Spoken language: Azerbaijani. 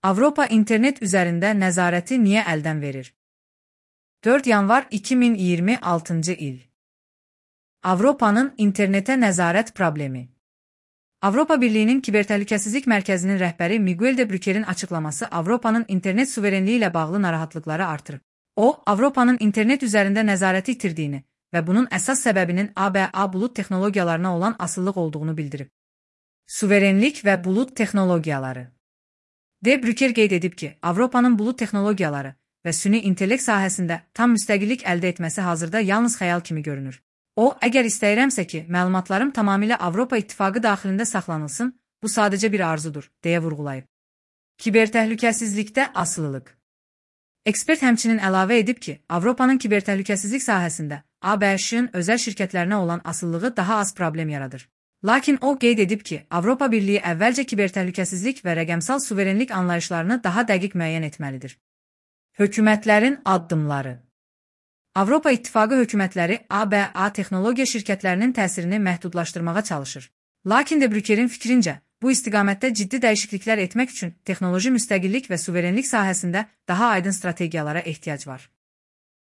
Avropa internet üzərində nəzarəti niyə əldən verir? 4 yanvar 2026 il. Avropanın internetə nəzarət problemi. Avropa Birliyinin Kibertəhlükəsizlik Mərkəzinin rəhbəri Miguel de Brükerin açıqlaması Avropanın internet suverenliyi ilə bağlı narahatlıqları artırır. O, Avropanın internet üzərində nəzarəti itirdiyini və bunun əsas səbəbinin ABA bulut texnologiyalarına olan asıllıq olduğunu bildirib. Suverenlik və bulut texnologiyaları. De Brüker qeyd edib ki, Avropanın bulut texnologiyaları və süni intellekt sahəsində tam müstəqillik əldə etməsi hazırda yalnız xəyal kimi görünür. O, əgər istəyirəmsə ki, məlumatlarım tamamilə Avropa İttifaqı daxilində saxlanılsın, bu sadəcə bir arzudur, deyə vurğulayıb. Kibertəhlükəsizlikdə asılılıq. Ekspert həmçinin əlavə edib ki, Avropanın kibertəhlükəsizlik sahəsində ABŞ-ın özəl şirkətlərinə olan asılılığı daha az problem yaradır. Lakin o qeyd edib ki, Avropa Birliyi əvvəlcə kibertəhlükəsizlik və rəqəmsal suverenlik anlayışlarını daha dəqiq müəyyən etməlidir. Hökumətlərin addımları. Avropa İttifaqı hökumətləri ABA texnologiya şirkətlərinin təsirini məhdudlaşdırmağa çalışır. Lakin de Brükerin fikrincə, bu istiqamətdə ciddi dəyişikliklər etmək üçün texnoloji müstəqillik və suverenlik sahəsində daha aydın strategiyalara ehtiyac var.